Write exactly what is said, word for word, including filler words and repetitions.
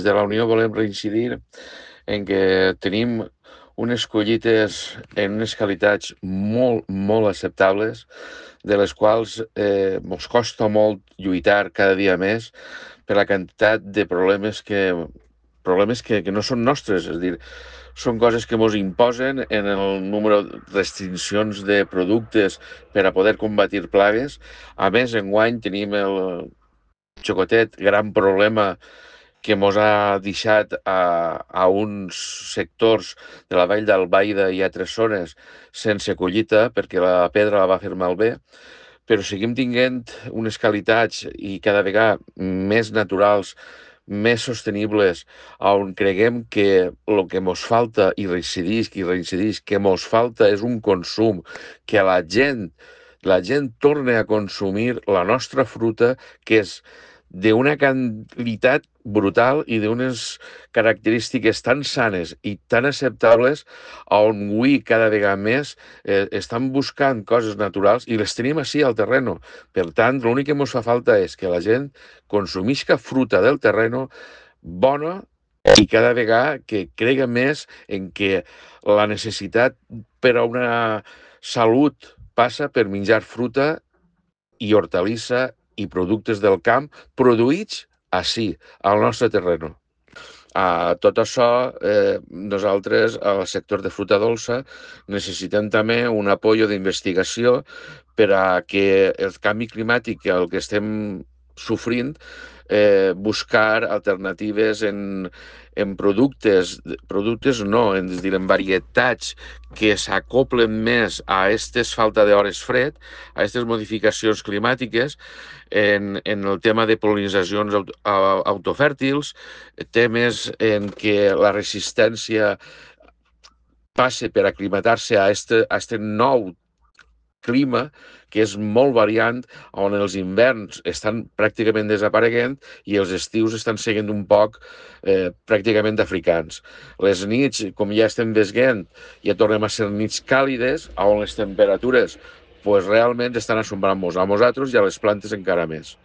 Des de la Unió volem reincidir en que tenim unes collites en unes qualitats molt, molt acceptables, de les quals eh, ens costa molt lluitar cada dia més per la quantitat de problemes que, problemes que, que no són nostres, és a dir, són coses que ens imposen en el número de restriccions de productes per a poder combatir plagues. A més, enguany tenim el xocotet gran problema que mos ha deixat a, a uns sectors de la vall d'Albaida i altres zones sense collita perquè la pedra la va fer malbé, però seguim tinguent unes qualitats i cada vegada més naturals, més sostenibles, on creguem que el que mos falta, i reincidís, i reincidís, que mos falta és un consum, que la gent, la gent torni a consumir la nostra fruta, que és d'una qualitat brutal i d'unes característiques tan sanes i tan acceptables, on avui cada vegada més eh, estan buscant coses naturals i les tenim així al terreno. Per tant, l'únic que ens fa falta és que la gent consumisca fruta del terreno bona i cada vegada que crega més en que la necessitat per a una salut passa per menjar fruta i hortalissa i productes del camp produïts així, al nostre terreno. A tot això, eh, nosaltres, al sector de fruita dolça, necessitem també un apoyo d'investigació per a que el canvi climàtic, el que estem sofrint, eh, buscar alternatives en, en productes, productes no, en, és dir, en varietats que s'acoplen més a aquestes falta d'hores fred, a aquestes modificacions climàtiques, en, en el tema de pol·linitzacions aut, autofèrtils, temes en què la resistència passe per aclimatar-se a este, a este nou clima, que és molt variant, on els hiverns estan pràcticament desapareguent i els estius estan seguint un poc eh, pràcticament africans. Les nits, com ja estem veient, ja tornem a ser nits càlides, on les temperatures pues, realment estan assombrant-nos a nosaltres i a les plantes encara més.